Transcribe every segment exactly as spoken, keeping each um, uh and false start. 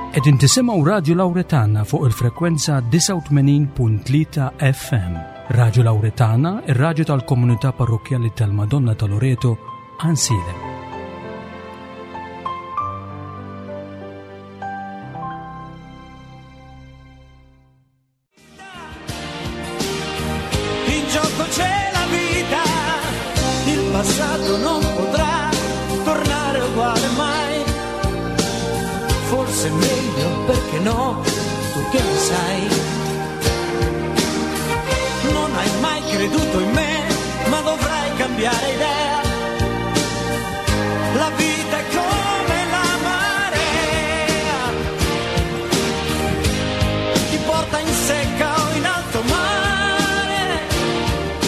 Qegħdin tisimgħu Radju Lawretana fuq il-frekwenza disgħa u tmenin punt tlieta F M. Radju Lawretana, ir-radju tal-komunità parrokkjali tal-Madonna ta' Loreto, Għajnsielem. In gioco c'è la vita, il passato non potrà tornare uguale mai. Forse è meglio, perché no, tu che ne sai. Non hai mai creduto in me, ma dovrai cambiare idea. La vita è come la marea, ti porta in secca o in alto mare.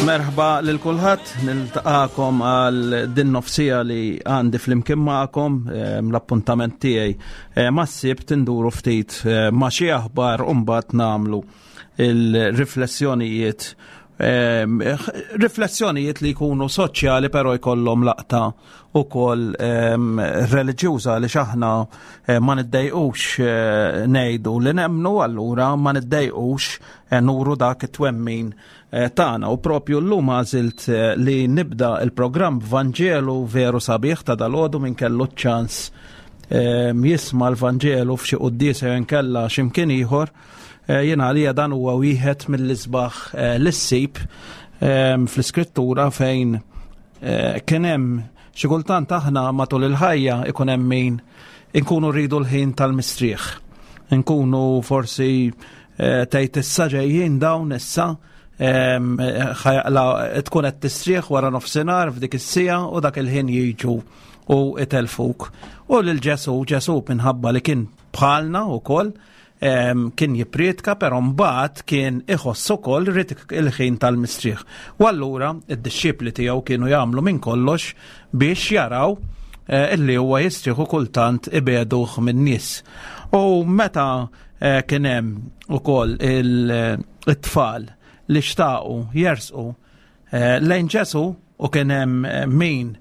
Merħba lil kulħadd, niltaqakom għal din nofsija li għandi flimkien magħkom, ehm, l-appuntament tiegħi, eh, mas-Sibt induru ftit, eh, ma' xi aħbar u mbagħad nagħmlu il-riflessjonijiet, ehm, riflessjonijiet li jkunu soċjali però jkollhom laqta ukoll, ehm, reliġjuża, għaliex aħna, eh, ma niddejqux, eh, ngħidu li nemmnu, allura ma niddejqux, eh, nuru dak it-twemmin, eh, tagħna. U propju llum għażilt, eh, li nibda il-programm Vanġelu veru sabiħ ta' dalgħodu minn kellu ċ-ċans, ehm, jisma' l-Vanġelu f'xi quddiesa jew inkella x'imkien ieħor. Eh, jiena għalija dan huwa wieħed mill-isbaħ, eh, li ssib, ehm, fl-iskrittura fejn, eh, kien hemm xi kultant aħna matul il-ħajja ikun hemm min inkunu rridu l-ħin tal-mistrieħ. Inkunu forsi, eh, tgħid issa ġejjin dawn issa, ehm, ħajaqla tkun qed tistrieħ wara nofsinhar f'dik is-siegħa u dak il-ħin jiġu u itelfuk. U lil Ġesu, Ġesu minħabba li kien bħalna wkoll, em, kien jippriedka, però mbagħad kien iħoss ukoll rid il-ħin tal-mistrieħ. U allura id-dixxipli tiegħu kienu jagħmlu minn kollox biex jaraw, eh, illi huwa jistrieħu kultant ibeduh min-nies. U meta, eh, kien hemm ukoll il-, it-tfal li xtaqu jersqu, eh, lejn Ġesu u kien hemm, eh, min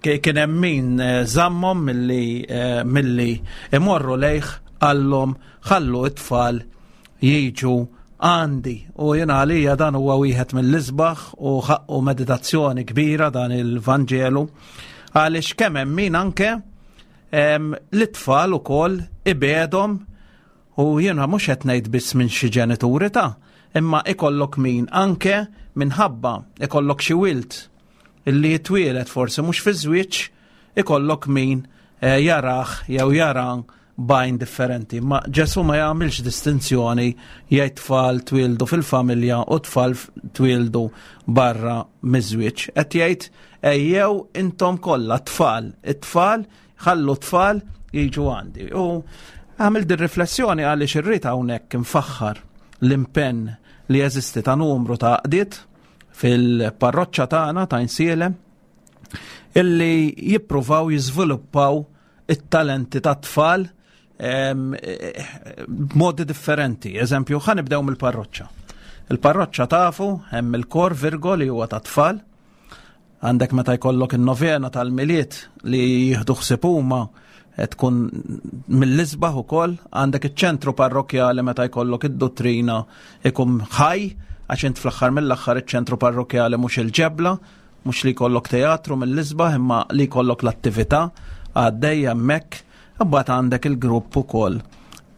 ki-, kien hemm min, eh, żammhom milli, eh, milli imorru lejh, qallhom ħallu it-tfal jiġu għandi. U jiena għalija dan huwa wieħed mill-isbaħ u ħaqqu meditazzjoni kbira dan il-Vanġelu, għaliex kemm hemm min anke, em, l-tfal ukoll ibedhom, u jiena mhux qed ngħid biss minn xi ġenituri ta', imma ikollok min anke minħabba ikollok xi wild illi jitwielet forsi mhux fi żwieġ, ikollok min, eh, jarah jew jara bajn differenti. Ma Ġesu ma jagħmilx distinzjoni jgħid tfal twildu fil-familja u tfal twildu barra miż-żwieġ. Qed jgħid ejjew intom kollha tfal, it-tfal ħallu tfal jiġu għandi. U għamil din riflessjoni għaliex irrid hawnhekk infaħħar l-impenn li jeżisti ta' numru ta' għaqdiet fil-parroċċa tagħna ta' Għajnsielem illi jippruvaw jiżviluppaw it-talenti ta' tfal, em, b'modi differenti. Eżempju, ħa nibdew mill-parroċċa. Il-parroċċa tafu hemm il-kor Virgo li huwa ta' tfal. Għandek meta jkollok in-novena tal-Milied li jieħdu ħsieb huma tkun mill-isbaħ ukoll. Għandek iċ-ċentru parrokkjali meta jkollok id-dottrina ikun ħaj, għax int fl-aħħar mill-aħħar iċ-ċentru parrokkjali mhux il-ġebla, mhux li jkollok teatru mill-isbaħ, imma li jkollok l-attività għaddejja hemmhekk. Imbagħad għandek il-grupp ukoll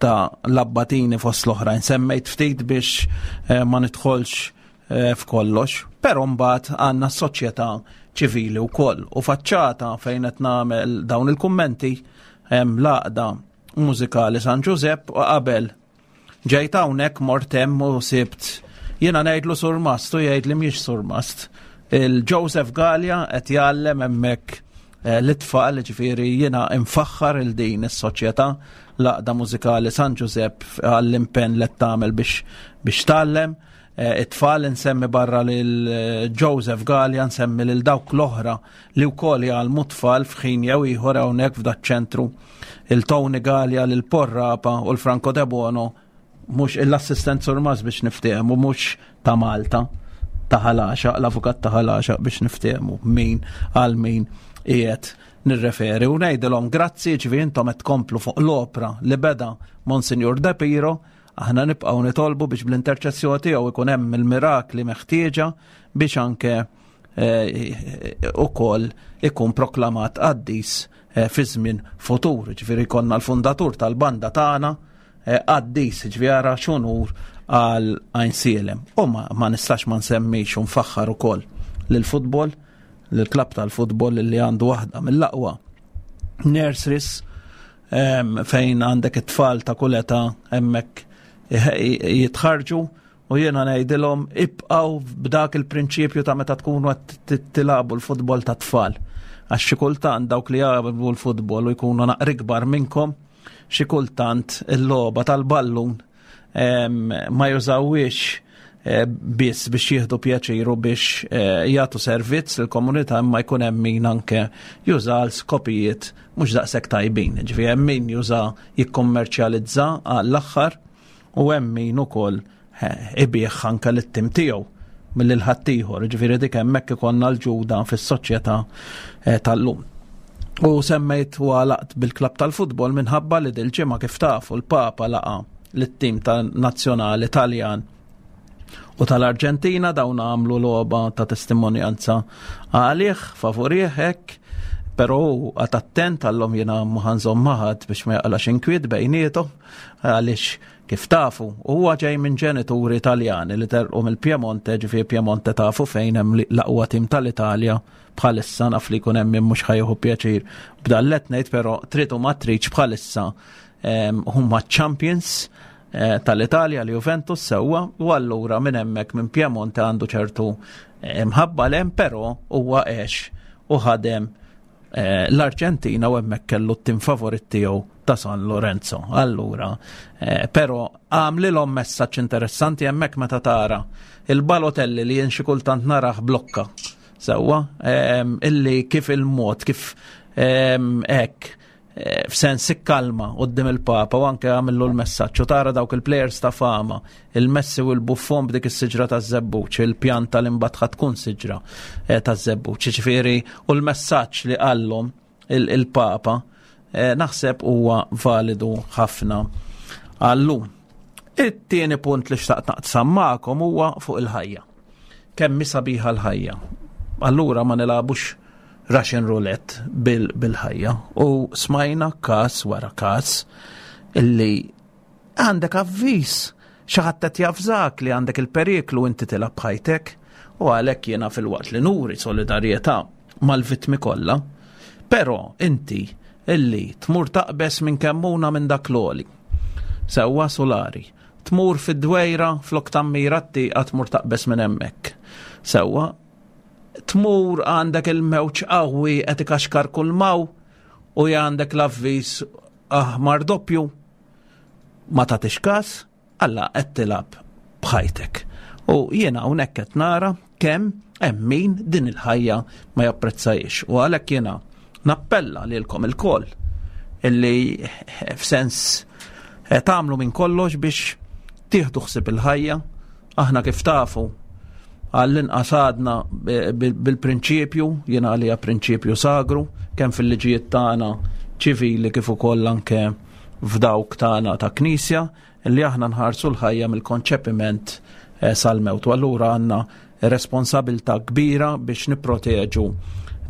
ta' l-abbatini fost l-oħrajn. Semmejt ftit biex, eh, ma nidħolx, eh, f'kollox, però mbagħad għandna s-soċjetà ċivili wkoll. U faċċata fejn qed nagħmel dawn il-kummenti hemm l-għaqda mużikali San Ġużepp, u qabel ġejt hawnhekk mort hemm u sibt jiena ngħidlu surmast u jgħid li mhix surmast. Il-Joseph Gallia qed jgħallem hemmhekk, eh, l-itfal, ġifieri jiena infaħħar il din is-soċjetà l-għaqda mużikali San Ġużepp għall-impenn li tagħmel biex, biex tgħallem. Eh, it-tfal nsemmi barra lil, eh, Joseph Gallia, nsemmi lil dawk l-oħra li wkoll jgħallmu tfal f'ħin jew ieħor hawnhekk f'daċ-ċentru, il-Tony Gallia, lil Porrapa u l-Franco De Bono, mhux l-assistent surmas biex niftehmu, mhux ta' Malta, ta' Ħal Għaxaq, l-avukat ta' Ħal Għaxaq biex niftehmu min għal min qiegħed Nirreferi u ngħidilhom grazzi, ġifieri intom qed tkomplu fuq l-opra li beda Monsignor De Piro. Aħna nibqgħu nitolbu biex bl-interċessjoni tiegħu ikun hemm il-mirakli meħtieġa biex anke eh, ukoll ikun proklamat qaddis eh, fi żmien futur. Ġifieri konna l-fundatur tal-banda tagħna eh, qaddis, ġifieri ara x'unur għal Għajnsielem. U ma, ma nistax ma nsemmix u nfaħħar ukoll lill-futbol, lill-klabb tal-futbol li għandu waħda mill-aqwa nurseries em, fejn għandek it-tfal ta' kull età hemmhekk jitħarġu, u jiena ngħidilhom ibqgħu b'dak il-prinċipju ta' meta tkunu qed tilagħbu l-futbol ta' tfal. Għax xi kultant dawk li jagħmlu l-futbol u jkunu naqra ikbar minnkom, xi kultant il-logħba tal-ballun em, ma jużawhiex eh, biss biex jieħdu pjaċir u biex eh, jagħtu servizz lill-komunità, imma jkun hemm min anke juża għal skopijiet mhux daqshekk tajbin. Ġifieri hemm min juża jikkommerċjalizza għall-aħħar u hemm min ukoll eh, ibigħ anke lit-tim tiegħu mill-ħaddieħor. Ġifieri dik hemmhekk ikollna l-ġuda fis-soċjetà eh, tal-lum. U semmejt u għalaqt bil-klab tal-futbol minħabba li dil-ġimgħa, kif tafu, l-Papa laqa lit-tim tal-nazzjonali Taljan u tal-Arġentina. Dawn għamlu logħba ta' testimonjanza għalih, favurih hekk, però qagħad attent, għallhom jiena mhu nżomm ma' ħadd biex ma jaqlax inkwiet bejniethom, għaliex kif tafu huwa ġej minn ġenituri Italjani li telqu mill-Piemonte, ġifieri Piemonte tafu fejn hemm l-aqwa tim tal-Italja bħalissa. Naf li jkun hemm min mhux ħa jieħu pjaċir b'dan li ngħid, però trid u ma tridx bħalissa em, huma champions eh, tal-Italja li Juventus, sewwa, u allura minn hemmhekk minn Piemonte għandu ċertu eh, mħabba 'l hemm, però huwa għex u ħadem eh, l-Arġentina u hemmhekk kellu t-tim favorit tiegħu ta' San Lorenzo. Allura, eh, però għamlilhom messaġġ interessanti hemmhekk meta tara il-Balotelli li jien xi kultant narah blokka. Sewwa, em, illi kif il-mod, kif em, hekk eh, f'sens ikkalma quddiem il-Papa u anke għamillu l-messaġġ u tara dawk il-players ta' fama, il-Messi u l-Buffon b'dik is-siġra ta' żebbuġ, il-pjanta li mbagħad tkun siġra eh, ta' żebbuġ. Ġifieri u l-messaġġ li qallhom il-Papa eh, naħseb huwa validu ħafna għallum. It-tieni punt li xtaqt naqsam magħkom huwa fuq il-ħajja. Kemm sabiħa l-ħajja. Allura ma nilagħbux Russian roulette bil-ħajja. U smajna kas wara kas illi għandek avviż, xi ħadd qed javżak li għandek il-periklu, inti tilgħab b'ħajtek, u għalhekk jiena, filwaqt li nuri solidarjetà mal-vittmi kollha, però inti illi tmur taqbes minn kemmuna minn dak l-għoli. Sewwa, solari. Tmur fid-dwejra, flok tammira t-tieqa tmur taqbes minn hemmhekk. Sewwa, tmur għandek il-mewġ qawwi qed ikaxkar kull m'hawn u għandek l-avviż aħmar doppju, ma tagħtix każ, alla qed tilgħab b'ħajtek. U jiena hawnhekk qed nara kemm hemm min din il-ħajja ma japprezzajiex. U għalhekk jiena nappella lilkom ilkoll illi f'sens eh, tagħmlu minn kollox biex tieħdu ħsieb il-ħajja. Aħna, kif tafu, għall-inqas għadna bil-prinċipju, jiena għalija prinċipju sagru, kemm fil-liġijiet tagħna ċivili kif ukoll anke f'dawk tagħna ta' knisja, li aħna nħarsu l-ħajja mill-konċepiment eh, sal-mewt. U allura għandna responsabilta kbira biex nipproteġu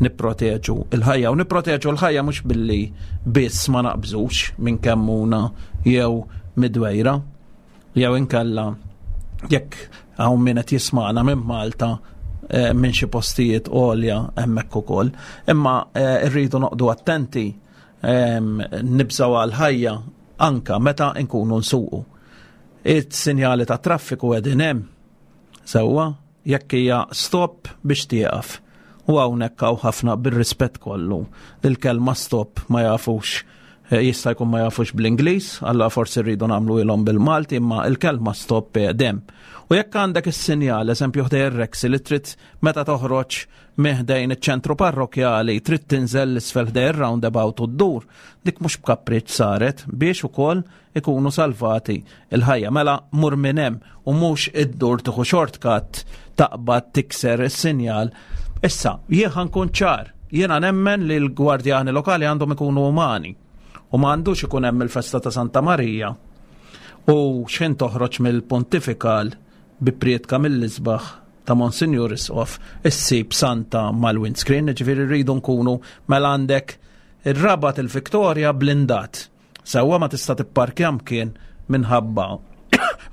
nipproteġu il-ħajja, u nipproteġu l-ħajja mhux billi biss ma naqbżux minn kemmuna jew mid-dwejra jew inkella jekk hawn min qed jisma'na minn Malta eh, minn xi postijiet għolja hemmhekk ukoll. Imma eh, rridu noqogħdu attenti, nibżaw għal-ħajja anka meta nkunu nsuqu. It-sinjali ta' traffiku qegħdin hemm. Sewwa, jekk hija stop biex tieqaf. U hawnhekk hawn ħafna, bir-rispett kollu, il-kelma stop ma jafux, eh, jista' jkun ma jafux bl-Ingliż, alla forsi rridu nagħmlu ilhom bil-Malti, imma il-kelma stop hemm. U jekk għandek is-sinjal, eżempju ħdejn ir-Reksi, li trid meta toħroġ ħdejn iċ-ċentru parrokjali trid tinżel 'l isfel ħdejn ir-roundabout u ddur, dik mhux b'kapriċ saret biex ukoll ikunu salvati il-ħajja. Mela mur minn hemm u mhux iddur, tieħu shortcut, taqbad tikser is-sinjal. Issa, jien nkun ċar, Jiena nemmen li l-gwardjani lokali għandhom ikunu umani u ma għandux ikun hemm il-festa ta' Santa Marija u x'ħin toħroġ mill-pontifikal bi prietka mill-isbaħ ta' Monsignor Isqof issib Santa mal-windscreen, ġifieri rridu nkunu mela għandek ir-Rabat il-Viktoria blindat. Sewwa, ma tista' tipparkja mkien minħabba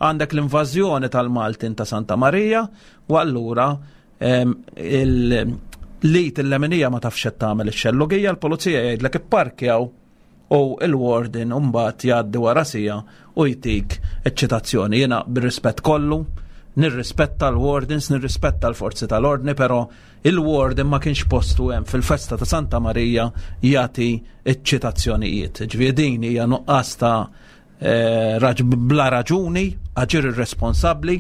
għandek l-invażjoni tal-Maltin ta' Santa Marija u allura il-lit il-leminija ma tafx qed tagħmel ix-xellugija, l-pulizija jgħidlek ipparkjaw u il-warden mbagħad jgħaddi wara sija u jtik eċċitazzjoni. Jiena bir-rispett kollu, nirrispetta l-wardens, nirrispetta l-forzi tal-ordni, però il-warden ma kienx postu hemm fil-festa ta' Santa Marija jagħti eċċitazzjonijiet. Ġifieri din hija nuqqas ta' eh, bla raġuni, aġir irresponsabbli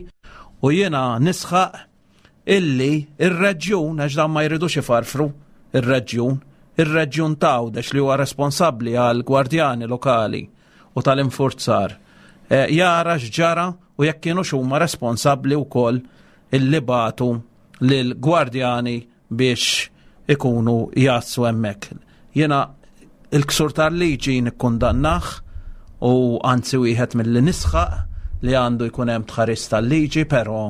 u jiena nisħaq illi ir-reġjun, għax dan ma jridux ifarfru ir-reġjun, ir-reġjun t'Għawdex li huwa responsabbli għal gwardjani lokali u tal-infurzar, eh, jara x'ġara u jekk kienu huma responsabbli wkoll illi bagħtu lil gwardjani biex ikunu jassu hemmhekk. Jiena il-ksur tal-liġi nikkundannah u anzi wieħed mill-li nisħaq li għandu jkun hemm tħaris tal-liġi, però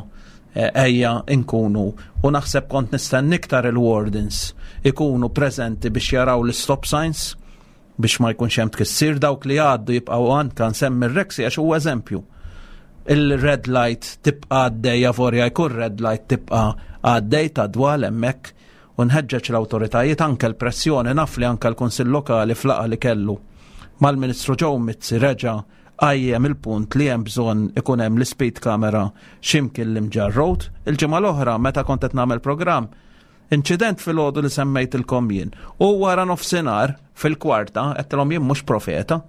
eh, ejja nkunu u naħseb kont nistenni iktar il-wardens ikunu preżenti biex jaraw l-stop signs biex ma jkunx hemm tkissir, dawk li għaddu jibqgħu, anka nsemmi r-Rexy għax huwa eżempju. Il-red light tibqa' għaddej, avolja jkun red light tibqa' għaddej ta' dwal hemmhekk u nħeġġeġ l-awtoritajiet, anke l-pressjoni, naf li anke l-Kunsill Lokali f'laqgħa li kellu mal-Ministru Joe Mizzi reġa' qajjem il-punt li hemm bżonn ikun hemm l-speed camera x'imkien l-Imġarr Road. Il-ġimgħa l-oħra meta kont qed nagħmel programm, inċident fil-għodu li semmejtilkom jien. U wara nofsinhar fil-kwarta għedtilhom jien mhux profeta,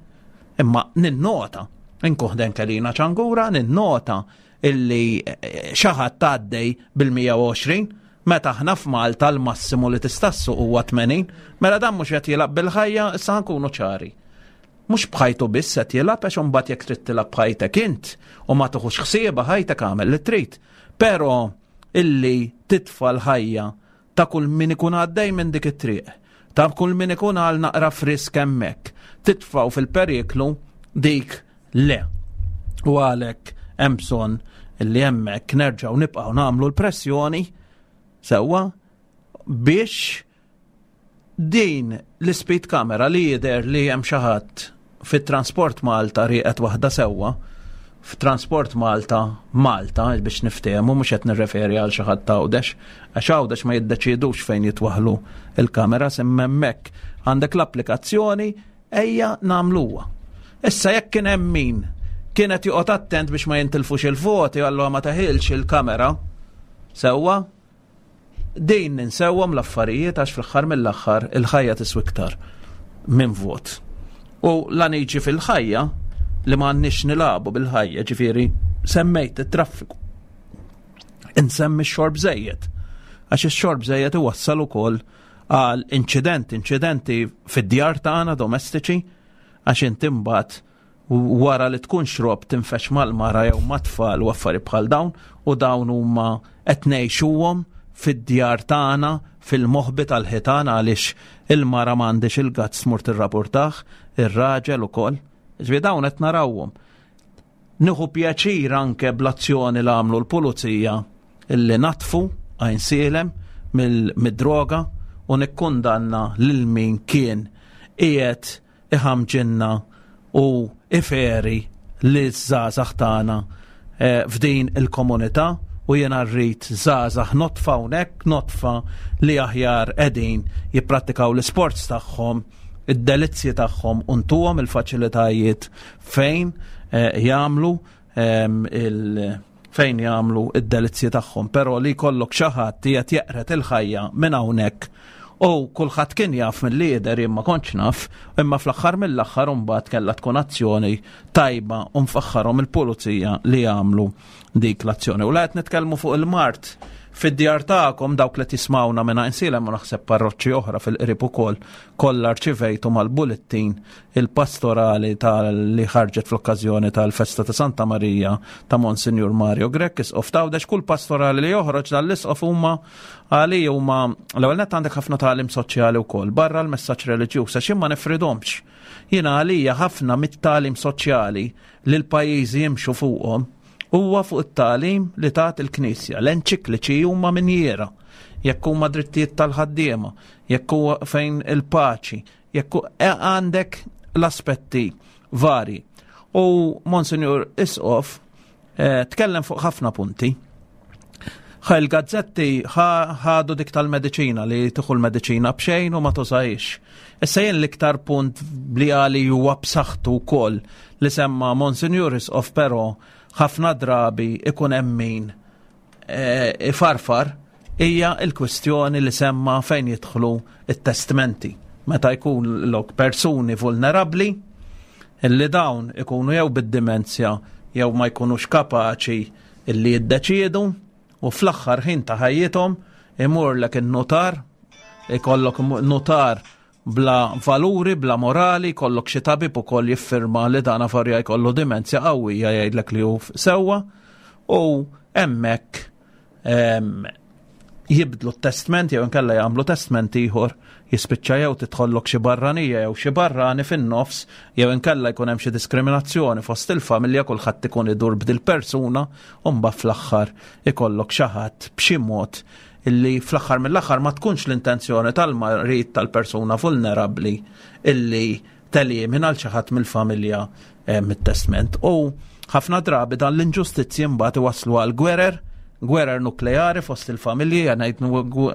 imma ninnota, inkun ħdejn Kelina Ċangura, ninnota illi eh, xi ħadd għaddej bil-mija u għoxrin meta aħna f'Malta l-massimu li tista' ssuq huwa tmenin, mela dan mhux qed jilgħab bil-ħajja? Issa nkunu ċari. Mhux b'ħajtu biss qed jilgħab, għax imbagħad jekk trid tilgħab b'ħajtek int u ma tuħux ħsieba ħajtek, għamel li trid. Però illi titfa' l-ħajja ta' kull min ikun għaddej minn dik it-triq, ta' kull min ikun għal naqra frisk hemmhekk, titfgħu fil-periklu, dik le. U għalhekk hemm bżonn illi hemmhekk nerġgħu nibqgħu nagħmlu l-pressjoni sewwa biex din l-speed camera li jidher li hemm xi ħadd fit-Transport Malta rieqet waħda sewwa f'Transport Malta Malta, biex niftehmu, mhux qed nirreferi għal xi ħadd Għawdex, għax Għawdex ma jiddeċidux fejn jitwaħlu il-kamera, imma hemmhekk għandek l-applikazzjoni, ejja nagħmluha. Issa jekk kien hemm min kienet joqgħod attent biex ma jintilfux il-voti, allura ma teħilx il-kamera sewwa, din ninsewhom l-affarijiet għax fl-aħħar mill-aħħar il-ħajja tiswi iktar minn vot. U la niġi fil-ħajja li ma għandniex nilagħbu bil-ħajja, ġifieri semmejt it-traffiku. Insemmi x-xorb żejjed. Għax ix-xorb żejjed iwassal ukoll għal inċidenti, inċidenti fid-djar tagħna domestiċi, għax inti mbagħad wara li tkun xrob tinfex mal-mara jew mat-tfal u affari bħal dawn, u dawn huma qed ngħixuhom fid-djar tagħna fil-moħbi tal-ħitan għaliex il-mara m'għandix il-guts tmur tirrapportah, ir-raġel ukoll. Ġifieri dawn qed narawhom. Nieħu pjaċir anke bl-azzjoni li għamlu l-pulizija illi natfu Għajnsielem mid-droga u nikkundanna lil min kien qiegħed iħamġinna u iferi li żgħażagħ tagħna eh, f'din il-komunità u jena rrid żgħażagħ nodfa hawnhekk, nodfa li aħjar qegħdin jipprattikaw l-sports tagħhom, id-delizzji tagħhom, untuhom il-faċilitajiet fejn eh, jagħmlu ehm, il- fejn jagħmlu id-delizzji tagħhom, però li jkollok xi ħadd qiegħed jeqret il-ħajja minn hawnhekk u kulħadd kien jaf mill-lider, jien ma kontx naf, imma fl-aħħar mill-aħħar imbagħad kellha tkun azzjoni tajba u nfaħħarhom il-pulizija li jagħmlu dik l-azzjoni. U la qed nitkellmu fuq il-mard Fid-djar tagħkom dawk li tismawna minn Għajnsielem u naħseb parroċċi oħra fil-qrib ukoll kollha rċivejtu mal-bullettin il-pastorali tal-li ħarġet fl-okkażjoni tal-festa ta' Santa Marija ta' Monsinjur Mario Grech, isqof t'Għawdex. Kull pastorali li joħroġ dal-isqof huma għali huma l-ewwel nett għandek ħafna tagħlim soċjali wkoll barra l-messaġġ reliġjuż, għax ma nifridhomx. Jiena għalija ħafna mit-tagħlim soċjali li l-pajjiżi jimxu fuqhom huwa fuq it-tagħlim li tat il-Knisja. L-enċikliċi huma minjiera, jekk huma drittijiet tal-ħaddiema, jekk huwa fejn il-paċi, jekk għandek l-aspetti vari. U Monsinjur Isqof eh, tkellem fuq ħafna punti. Ħa il-gazzetti ħadu dik tal-mediċina li tieħu l-mediċina b'xejn u ma tużajx. Issa jien l-iktar punt li għali huwa b'saħħtu wkoll li semma Monsinjur Isqof, però ħafna drabi ikun hemm min eh, ifarfar, hija l-kwistjoni li semma fejn jidħlu it-testmenti. Meta jkun lok persuni vulnerabbli illi dawn ikunu jew bid-dimenzja jew ma jkunux kapaċi illi jiddeċiedu, u fl-aħħar ħin ta' ħajjithom imurlek in-notar, ikollok notar bla valuri, bla morali, kollok xi tabib ukoll jiffirma li dan afarja jkollu dimenzja qawwija jgħidlek li hu sewwa, u hemmhekk jibdlu t-testment jew inkella jagħmlu testment ieħor, jispiċċa jew tidħollok xi barranija jew xi barrani fin-nofs, jew inkella jkun hemm xi diskriminazzjoni fost il-familja, kulħadd ikun idur b'dil persuna, u mbagħad fl-aħħar ikollok xi ħadd b'xi mod illi fl-aħħar mill-aħħar ma tkunx l-intenzjoni tal-marid tal-persuna vulnerabbli illi telimina għal xi ħadd mill-familja eh, mit-testment. U ħafna drabi dan l-inġustizzji mbagħad iwasslu għal gwerer, gwerer nukleari fost il-familji, ngħid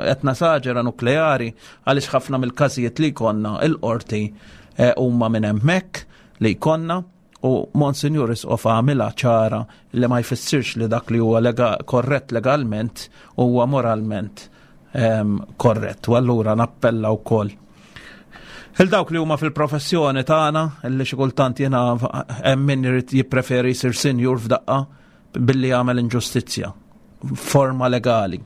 qed nasaġera nukleari għaliex ħafna mill-każijiet li jkollna il-qorti eh, huma minn hemmhekk li jkollna. U Monsinjur Isqof għamilha ċara li ma jfissirx li dak li huwa lega, korrett legalment huwa moralment um, korrett. U allura nappella wkoll il dawk li huma fil-professjoni tagħna illi xi kultant jiena hemm min irid jippreferi jsir sinjur f'daqqa billi jagħmel inġustizzja forma legali.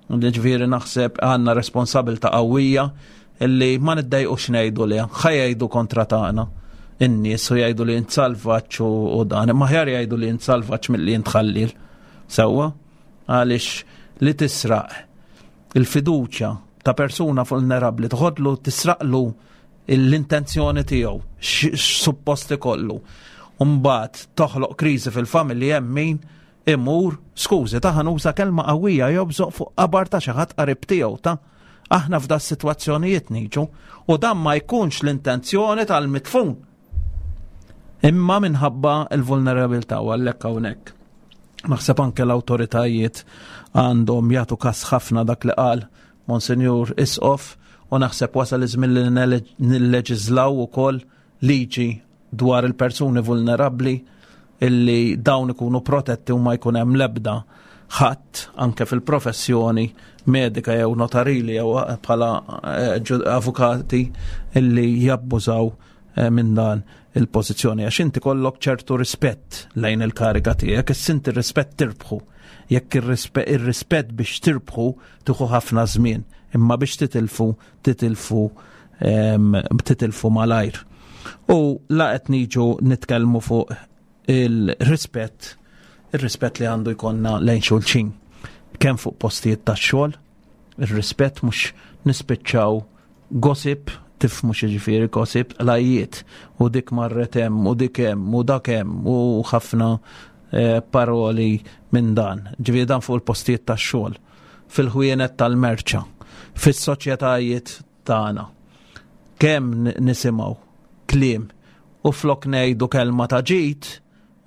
Ġifieri naħseb għandna responsabilità qawwija illi ma niddejqux ngħidu li ħa jgħidu kontra tagħna in-nies u jgħidu li int salvaġġ u dan, imma aħjar jgħidu li int salvaġġ milli int ħallil. Sewwa? Għaliex li tisraq il-fiduċja ta' persuna vulnerabbli, toħodlu tisraqlu l-intenzjoni tiegħu x'suppost ikollu. U mbagħad toħloq kriżi fil-familji, hemm min imur, skużi, ta' ħanuża kelma qawwija, jobżoq fuq qabar ta' xi ħadd qarib tiegħu ta' aħna f'da s-sitwazzjonijiet niġu, u dan ma jkunx l-intenzjoni tal-mitfun. Imma minħabba l-vulnerabilità, u għalhekk hawnhekk. Naħseb anke l-awtoritajiet għandhom jagħtu kas ħafna dak li qal Monsinjur Isqof, u naħseb wasal iż-żmien li nilleġislaw ukoll liġi dwar il-persuni vulnerabbli illi dawn ikunu protetti u ma jkun hemm l-ebda ħadd anke fil-professjoni medika jew notarili jew bħala avukati illi jabbużaw minn dan il-pożizzjoni, għax inti kollok ċertu rispett lejn il-kariga tiegħek, issa inti rispett tirbħu. Jekk ir-rispett biex tirbħu tieħu ħafna żmien, imma biex titilfu titilfu titilfu malajr. U la qed niġu nitkellmu fuq il-rispett, ir-rispett li għandu jkollna lejn xulxin, kemm fuq postijiet tax-xogħol, ir-rispett mhux nispiċċaw gossip, tifmu x'jiġifieri gossip, lajjiet, u dik marret hemm, u dik hemm, u dak hemm, u ħafna eh, paroli minn dan. Ġifieri dan fuq il-postijiet tax-xogħol, fil-ħwienet tal-merċa, fis-soċjetajiet tagħna. Kemm nisimgħu kliem u flok ngħidu kelma ta' ġid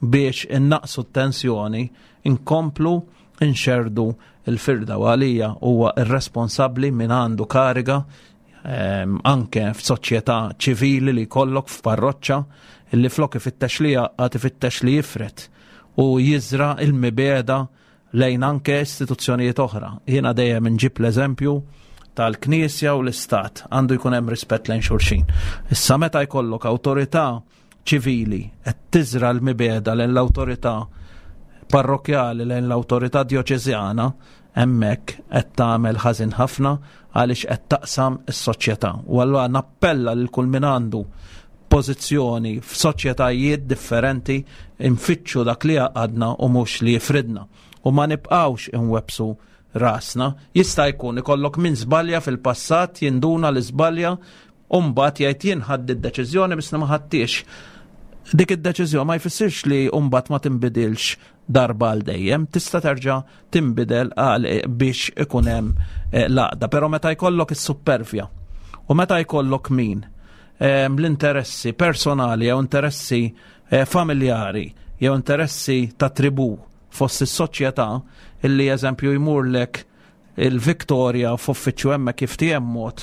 biex innaqsu t-tensjoni, inkomplu nxerdu il-firda. U għalija huwa irresponsabbli min għandu kariga anke f'soċjetà ċivili li jkollok f'parroċċa illi flok ifittex li jaqgħad ifittex li jifret u jiżra il-mibeda lejn anke istituzzjonijiet oħra. Jiena dejjem inġib l-eżempju tal-Knisja u l-Istat, għandu jkun hemm rispett lejn xulxin. Issa meta jkollok awtorità ċivili qed tiżra l-mibeda lejn l-awtorità parrokjali, lejn l-awtorità djoċeżjana, Hemmhekk qed tagħmel ħażin ħafna għaliex qed taqsam is-soċjetà. U allura nappella lil kull min għandu pożizzjoni f'soċjetajiet differenti, infittxu dak li għadna u mhux li jifridna. U ma nibqgħux inwebsu rasna. Jista' jkun ikollok min żbalja fil-passat, jinduna li żbalja u mbagħad jgħid jien ħadt id-deċiżjoni biss ma ħadtix. Dik id-deċiżjoni ma jfissirx li mbagħad ma tinbidilx darba għal dejjem, tista' terġa' tinbidel għal biex ikun hemm eh, l-għaqda. Però meta jkollok is-suppervja u meta jkollok min ehm, l-interessi personali jew interessi eh, familjari jew interessi ta' tribu fost is-soċjetà, illi eżempju jmurlek il-Victoria f'uffiċċju hemmhekk jiftiehem mod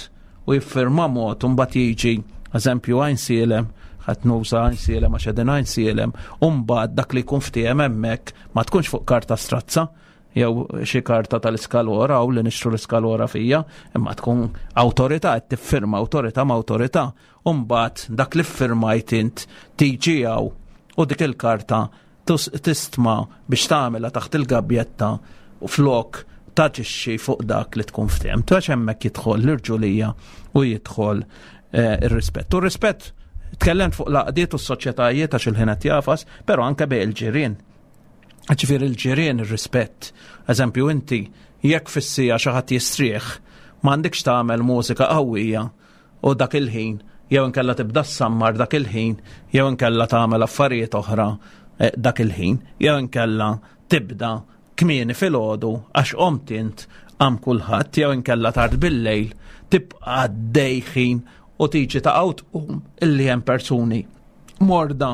u jiffirma mod, u mbagħad jiġi eżempju Għajnsielem, ħadd nuża Għajnsielem għax qegħdin Għajnsielem, u mbagħad dak li jkun ftiehem hemmhekk ma tkunx fuq karta strazza jew xi karta tal-iskalora u li nixtru l-iskalora fija, imma tkun awtorità qed tiffirma, awtorità ma' awtorità, u mbagħad dak li ffirmajt int tiġi hawn u dik il-karta tistma biex tagħmilha taħt il-gabjetta u flok taġixxi fuq dak li tkun ftehim. Għax hemmhekk jidħol l-irġulija u jidħol eh, ir-rispett. U r-rispett, tkellemt fuq l-għaqdiet u s-soċjetajiet għax il-ħin qed jagħfas, però anke bejn il-ġirien. Ġifieri il-ġirien, ir-rispett. Eżempju, inti jekk fis-siegħa xi ħadd jistrieħ, m'għandekx tagħmel mużika qawwija u dak il-ħin, jew inkella tibda ssammar dak il-ħin, jew inkella tagħmel affarijiet oħra eh, dak il-ħin, jew inkella tibda kmieni filgħodu għax qomt int qam kulħadd, jew inkella tard bil-lejl tibqa' għaddej ħin u tiġi ta' tqum illi hemm persuni morda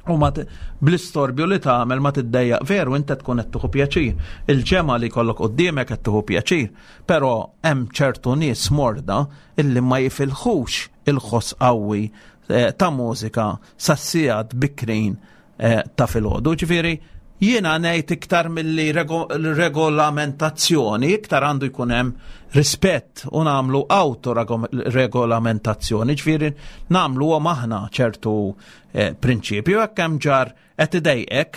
u ma bl-istorbju li tagħmel ma tiddejjaq. Veru, inti tkun qed tieħu pjaċir. Il-ġemgħa li jkollok quddiemek qed tieħu pjaċir, però hemm ċertu nies morda illi ma jifilħux il-ħoss qawwi eh, ta' mużika sas-sigħat bikrin eh, ta' filgħodu. Ġifieri jiena ngħid iktar milli regolamentazzjoni, iktar għandu jkun hemm rispett u nagħmlu autoregolamentazzjoni, ġifieri nagħmlu aħna ċertu eh, prinċipju. Jekk hemm ġar qed idejqek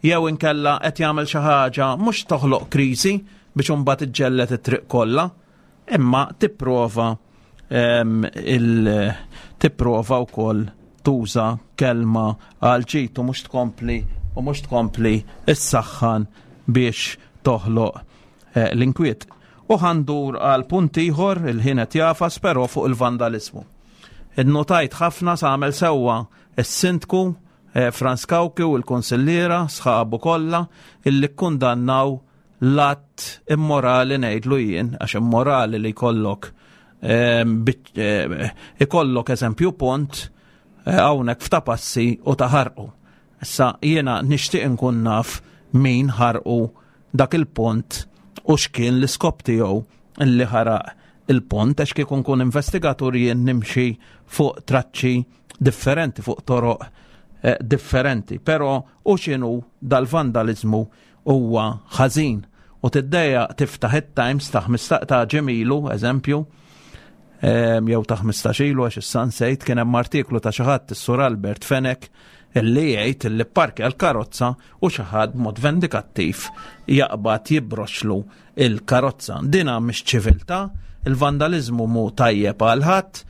jew inkella qed jagħmel xi ħaġa, mhux toħloq kriżi biex imbagħad iġġellet it-triq kollha, imma tipprova il tipprova wkoll tuża kelma għal ġid u mhux tkompli u mhux tkompli issaħħan biex toħloq eh, l-inkwiet. U ħa ndur għal punt ieħor, il-ħin qed jagħfas, però fuq il-vandalizmu. Innotajt ħafna sa għamel sewwa is-sindku eh, Frans Cauchi u l-konsilliera sħabu kollha illi kkundannaw l-att immorali, ngħidlu jien, għax immorali li jkollok eh, ikollok eżempju pont hawnhekk f'Ta' Passi u taħarqu. Issa jiena nixtieq inkun naf min ħarqu dak il-pont u x'kien l-iskop tiegħu illi ħaraq il-pont, għax kieku nkun investigatur jien nimxi fuq traċċi differenti, fuq toroq eh, differenti. Però u x'inhu dal-vandalizmu huwa ħażin. U tiddejjaq tiftaħ it-Times ta' ta' ġimgħa ilu, eżempju, jew ta' ħmistax ilu għax issa nsejt, kien hemm artiklu ta' xi ħadd, is-Sur Albert Fenech, illi jgħid illi parkja l-karozza u xi ħadd mod vendikattiv jaqbad jibroxlu il-karozza. Dina mhix ċiviltà, il-vandalizmu mhu tajjeb għal ħadd,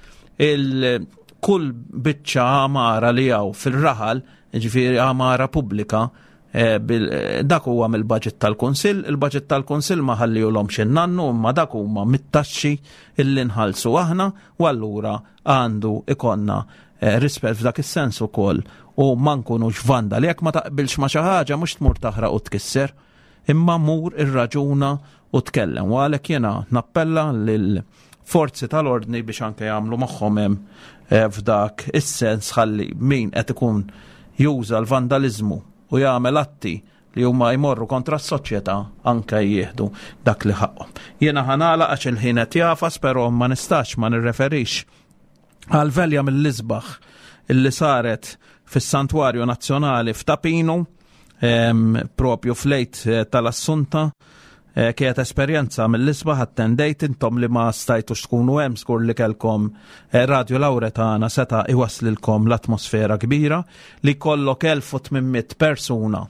il-kull biċċa għamara li hawn fil-raħal, ġifieri għamara pubblika, eh, eh, dak huwa mill-budget tal-Kunsill, il-budget tal-Kunsill ma ħallihulhomx in-nannu, imma dak huma mit-taxxi illi nħallsu aħna, u allura għandu ikollna eh, rispett f'dak is-sens ukoll u ma nkunux vandali. Jekk ma taqbilx ma xi ħaġa, mhux tmur taħraq u tkisser, imma mur irraġuna u tkellem. U għalhekk jiena nappella lil forzi tal-ordni biex anke jagħmlu magħhom hemm eh, f'dak is-sens, ħalli min qed ikun juża l-vandalizmu u jagħmel atti li huma jmorru kontra s-soċjetà anke jieħdu dak li ħaqhom. Jiena ħa nagħlaq għax il-ħin qed jagħfas, però ma nistax ma nirreferix għal velja mill-isbaħ illi saret fis-Santwarju Nazzjonali f'Ta' Pinu, propju fl-Għid eh, tal-Assunta. Eh, kienet esperjenza mill-isbaħ, attendejt. Intom li ma stajtux tkunu hemm, żgur li kellkom eh, Radio Lauretana seta' iwaslilkom l-atmosfera kbira li kollok elf u tmien mitt persuna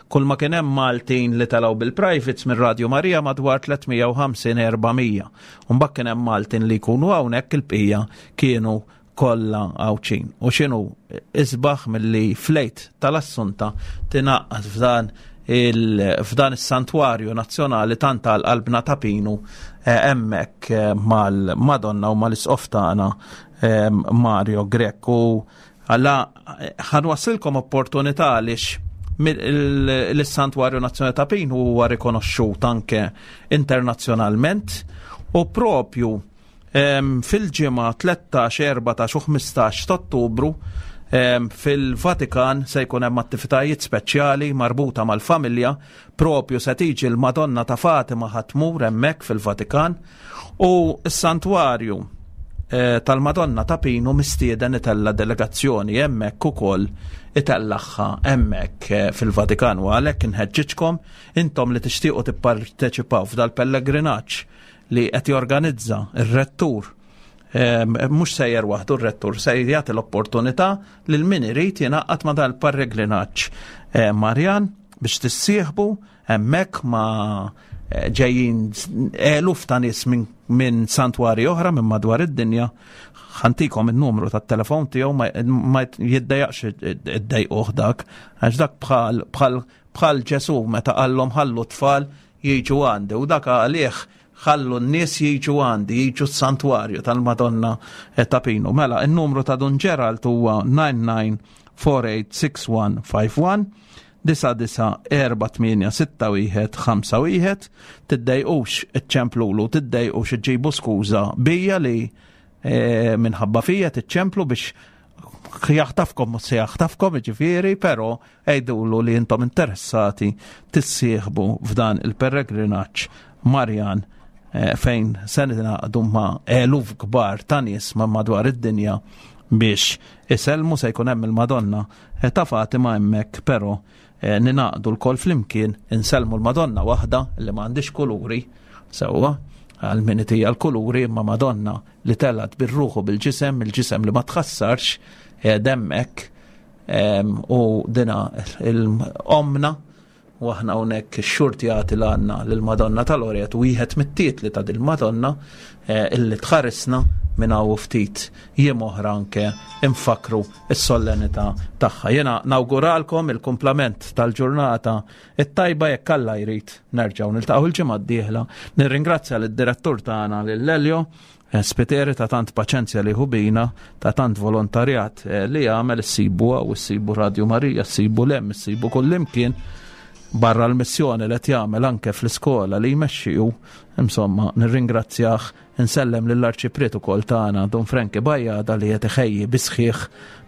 Kull ma kien hemm Maltin li telgħu bil-privates minn Radio Marija madwar tliet mija u ħamsin, erba' mija. Mbagħad kien hemm Maltin li jkunu hawnhekk, il-bqija kienu kollha Għawdxin. U x'inhu isbaħ milli fl-Għid tal-Assunta tingħaqad f'dan f'dan is-santwarju nazzjonali tant għal qalbna ta' Pinu, eh, hemmhekk eh, mal-Madonna u mal-Isqof tagħna eh, Mario Grech? U għalla ħa nwassilkom opportunità għaliex l-Santwarju Nazzjonali ta' Pinu huwa rikonoxxut anke internazzjonalment u propju fil-ġimgħa tlettax, erbatax u ħmistax ta' Ottubru fil-Vatikan se jkun hemm attivitajiet speċjali marbuta mal-familja. Propju se tiġi l-Madonna ta' Fatima, ħa tmur hemmhekk fil-Vatikan u s-santwarju eh, tal-Madonna ta' Pinu mistieden itella delegazzjoni hemmhekk ukoll, itellagħha hemmhekk eh, fil-Vatikan, u għalhekk inħeġġiġkom intom li tixtiequ tipparteċipaw f'dal-pellegrinaġġ li qed jorganizza ir-rettur. Mhux sejjer waħdu r-rettur, se jagħti l-opportunità lil min irid jingħaqad ma' dal-pellegrinaġġ eh, Marjan biex tissieħbu hemmhekk ma' eh, ġejjin eluf ta' nies minn min santwari oħra minn madwar id-dinja. Ħa ntikom il-numru tat-telefon tiegħu, ma jiddejjaqx iddejquh dak, għax dak bħal bħal bħal Ġesu meta qallhom "ħallu tfal jiġu għandi", u dak għalih ħallu n-nies jiġu għandi, jiġu s-santwarju tal-Madonna ta' Pinu. Mela, il-numru ta' Dun Gerald huwa tmien disa' erba' tmienja sitta wieħed ħamsa wieħed, disa disa erba' tmienja sitta wieħed ħamsa wieħed. Tiddejqux iċċemplulu, tiddejqux iġġibu skuża bija li eh, minħabba fija tiċċemplu biex jaħtafkom, mhux se jaħtafkom ġifieri, però għidulu li intom interessati tissieħbu f'dan il-pellegrinaġġ Marjan eh, fejn se ningħaqdu ma' eluf kbar ta' nies ma' madwar id-dinja biex isellmu. Se jkun hemm il-Madonna eh, ta' Fatima hemmhekk, però eh, ningħaqdu lkoll flimkien insellmu l-Madonna waħda li m'għandix kuluri, sewwa, għal min itija l-kuluri, imma Madonna li telgħet bir-ruħu bil-ġisem, il-ġisem li ma tħassarx hemmhekk, u dina l-omna u aħna hawnhekk xurti għati l-għanna l-Madonna tal-Loreto, wieħed mit-titli ta' dil-Madonna eh, illi tħarisna minn hawn ftit jiem oħra anke infakru is-solennità tagħha. Jiena nawguralkom il-kumplament tal-ġurnata it-tajba. Jekk Alla jrid, nerġgħu niltaqgħu il-ġimgħa d-dieħla. Nirringrazzja lid-direttur tagħna, lil Elio eh, Spiteri, ta' tant paċenzja li ħubina, ta' tant volontarjat eh, li għamel. Issibu u issibu Radio Marija, issibu lem, issibu kullimkien barra l-missjoni li qed jagħmel anke fl-iskola li jmexxiju. Insomma, nirringrazzjah, insellem lill-arċipriet ukoll tagħna, Don Franki Bajada, li qed iħejji bisħiħ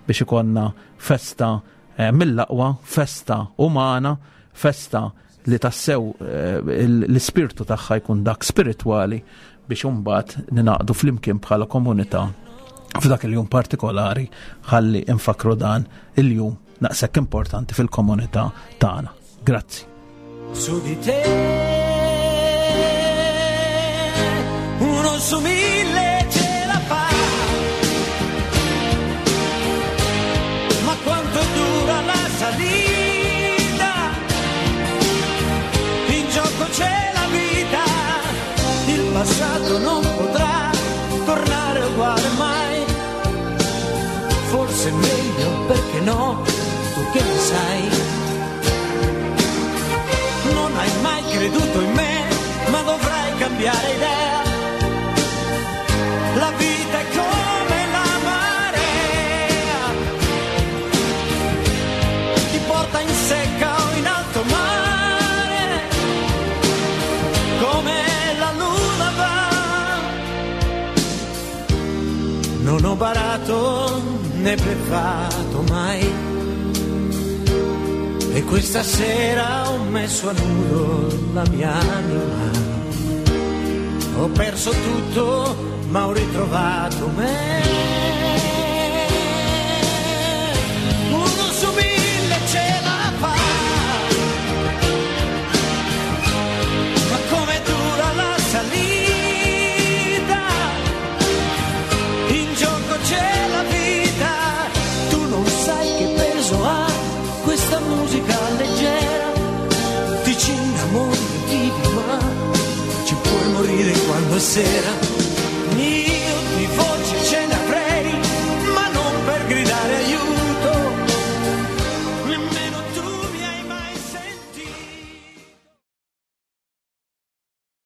biex ikollna festa eh, mill-aqwa, festa umana, festa li tassew eh, l-ispirtu tagħha jkun dak spiritwali biex imbagħad ningħaqdu flimkien bħala komunità f'dak il-jum partikolari ħalli infakru dan il-jum naqsek importanti fil-komunità tagħna. Grazzi. Su di te uno su mille ce la fa, ma quanto dura la salita? In gioco c'è la vita, il passato non potrà tornare uguale mai. Forse è meglio, perché no, tu che ne sai? Non hai mai creduto in me, ma dovrai cambiare idea. La vita è come la marea, ti porta in secca o in alto mare, come la luna va. Non ho barato né bleffato mai. E questa sera ho messo a nudo la mia anima. Ho perso tutto, ma ho ritrovato me. Uno su mille ce la fa. Ma come dura la salita? In gioco c'è la vita. Tu non sai che peso ha questa musica leggera. Giorno e sera.